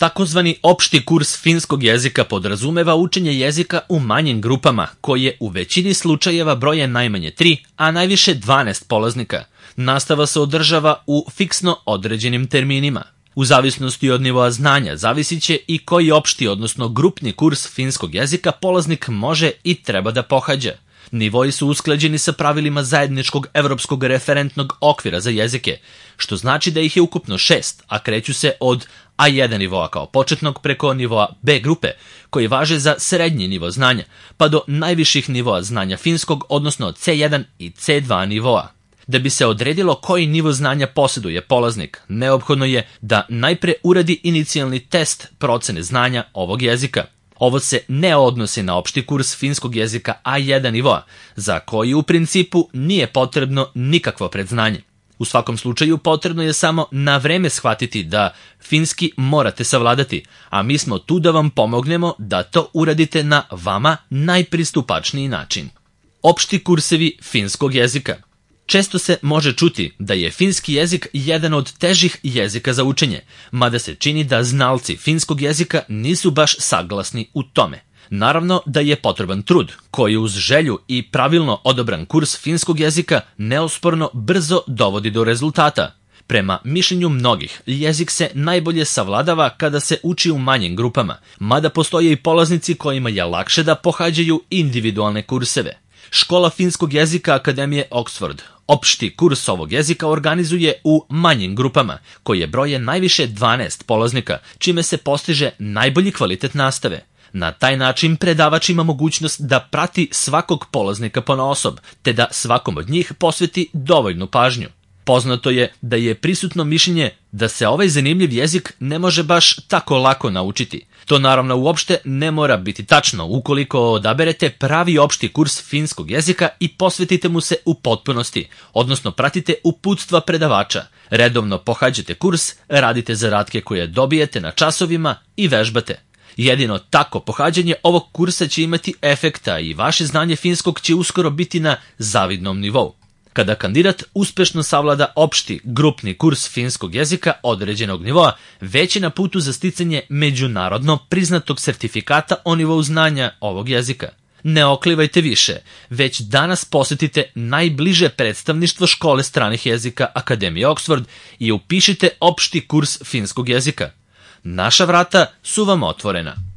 Takozvani opšti kurs finskog jezika podrazumeva učenje jezika u manjim grupama, koje u većini slučajeva broje najmanje 3, a najviše 12 polaznika. Nastava se održava u fiksno određenim terminima. U zavisnosti od nivoa znanja zavisit će i koji opšti, odnosno grupni kurs finskog jezika polaznik može i treba da pohađa. Nivoi su usklađeni sa pravilima zajedničkog evropskog referentnog okvira za jezike, što znači da ih je ukupno 6, a kreću se od A1 nivoa kao početnog preko nivoa B grupe, koji važe za srednji nivo znanja, pa do najviših nivoa znanja finskog, odnosno C1 i C2 nivoa. Da bi se odredilo koji nivo znanja posjeduje polaznik, neophodno je da najpre uradi inicijalni test procene znanja ovog jezika. Ovo se ne odnosi na opšti kurs finskog jezika A1 nivoa, za koji u principu nije potrebno nikakvo predznanje. U svakom slučaju potrebno je samo na vreme shvatiti da finski morate savladati, a mi smo tu da vam pomognemo da to uradite na vama najpristupačniji način. Opšti kursevi finskog jezika. Često se može čuti da je finski jezik jedan od težih jezika za učenje, mada se čini da znalci finskog jezika nisu baš saglasni u tome. Naravno da je potreban trud, koji uz želju i pravilno odabran kurs finskog jezika neosporno brzo dovodi do rezultata. Prema mišljenju mnogih, jezik se najbolje savladava kada se uči u manjim grupama, mada postoje i polaznici kojima je lakše da pohađaju individualne kurseve. Škola finskog jezika Akademije Oxford opšti kurs ovog jezika organizuje u manjim grupama, koje broje najviše 12 polaznika, čime se postiže najbolji kvalitet nastave. Na taj način predavač ima mogućnost da prati svakog polaznika ponaosob, te da svakom od njih posveti dovoljnu pažnju. Poznato je da je prisutno mišljenje da se ovaj zanimljiv jezik ne može baš tako lako naučiti. To naravno uopšte ne mora biti tačno ukoliko odaberete pravi opšti kurs finskog jezika i posvetite mu se u potpunosti, odnosno pratite uputstva predavača. Redovno pohađate kurs, radite zadatke koje dobijete na časovima i vežbate. Jedino tako pohađanje ovog kursa će imati efekta i vaše znanje finskog će uskoro biti na zavidnom nivou. Kada kandidat uspešno savlada opšti grupni kurs finskog jezika određenog nivoa, već je na putu za sticanje međunarodno priznatog sertifikata o nivou znanja ovog jezika. Ne oklivajte više, već danas posetite najbliže predstavništvo škole stranih jezika Akademije Oxford i upišite opšti kurs finskog jezika. Naša vrata su vam otvorena.